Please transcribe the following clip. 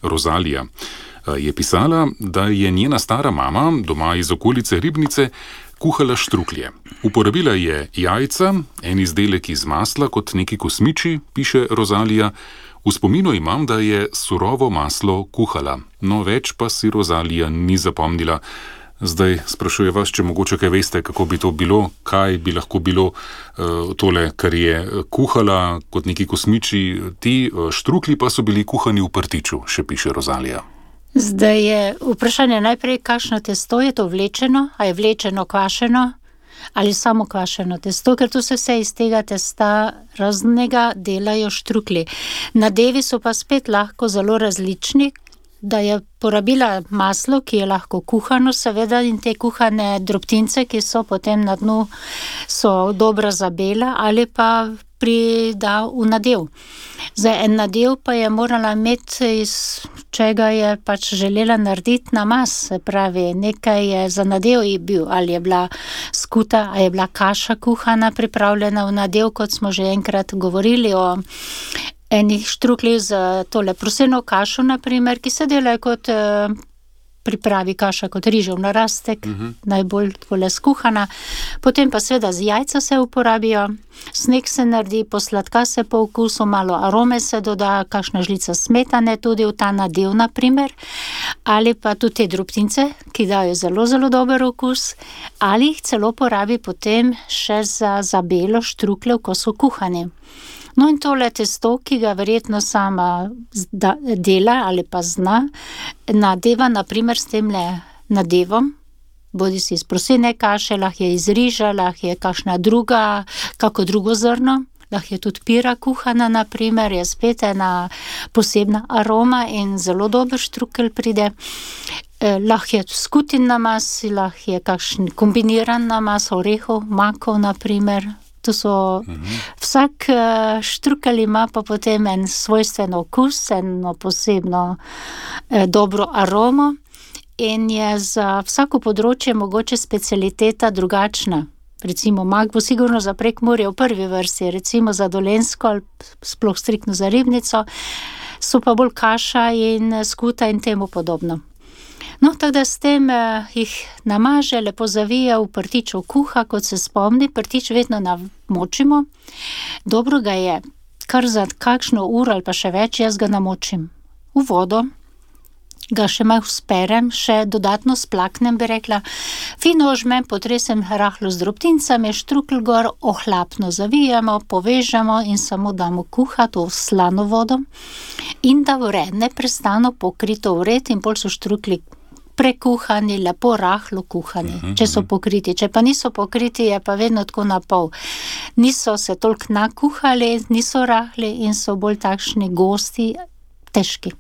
Rozalija. Je pisala, da je njena stara mama doma iz okolice Ribnice kuhala štruklje. Uporabila je jajca, en izdelek iz masla kot neki kosmiči, piše Rozalija. V spominu imam, da je surovo maslo kuhala, no več pa si Rozalija ni zapomnila. Zdaj sprašuje vas, če mogoče kaj veste, kako bi to bilo, kaj bi lahko bilo tole, kar je kuhala kot neki kosmiči. Ti štruklji pa so bili kuhani v prtiču, še piše Rozalija. Zdaj je vprašanje najprej, kakšno testo je to vlečeno, a je vlečeno kvašeno ali samo kvašeno testo, ker tu se vse iz tega testa raznega delajo štruklji. Nadevi so pa spet lahko zelo različni, da je porabila maslo, ki je lahko kuhano, seveda, in te kuhane drobtince, ki so potem na dnu, so dobra za bela, ali pa prida v nadev. Zdaj, en nadev pa je morala imeti, iz čega je pač želela narediti namaz, se pravi, nekaj je za nadev je bil, ali je bila skuta, ali je bila kaša kuhana, pripravljena v nadev, kot smo že enkrat govorili o enih štruklji z tole proseno kašo, naprimer, ki se delajo kot pripravi kaša kot rižev narastek, najbolj takole skuhana. Potem pa seveda z jajca se uporabijo, sneg se naredi, posladka se po okusu, malo arome se doda, kakšna žlica smetane tudi v ta nadev, naprimer, ali pa tudi te drobtince, ki dajo zelo, zelo dober okus, ali jih celo porabi potem še za belo štrukljev, ko so kuhani. No in tole testo, ki ga verjetno sama dela ali pa zna, nadeva naprimer s temle nadevom, bodi si iz prosene kaše, lahko je iz riža, lahko je kakšna druga, kako drugo zrno, lahko je tudi pira kuhana, naprimer, je spet ena posebna aroma in zelo dober štrukelj pride. Lahko je skutin namaz, lahko je kakšen kombiniran namaz, orehov, makov, naprimer. To so, vsak štrukelj ima pa potem en svojstven okus, eno posebno dobro aromo in je za vsako področje mogoče specialiteta drugačna. Recimo mak bo sigurno za Prekmurje v prvi vrsti, recimo za Dolenjsko ali sploh striktno za Ribnico, so pa bolj kaša in skuta in temu podobno. No, tako da s tem jih namaže, lepo zavije, v prtiču kuha, kot se spomni, prtič vedno namočimo. Dobro ga je, kar za kakšno uro ali pa še več, jaz ga namočim v vodo, ga še malo sperem, še dodatno splaknem, bi rekla, fino ožmem, potresem rahlo z drobtincami, štrukelj gor, ohlapno zavijemo, povežemo in samo damo kuhati v slano vodo in da vre, neprestano pokrito vred in bolj so štruklji prekuhani, lepo rahlo kuhani, če so pokriti. Če pa niso pokriti, je pa vedno tako na pol. Niso se toliko nakuhali, niso rahli in so bolj takšni gosti, težki.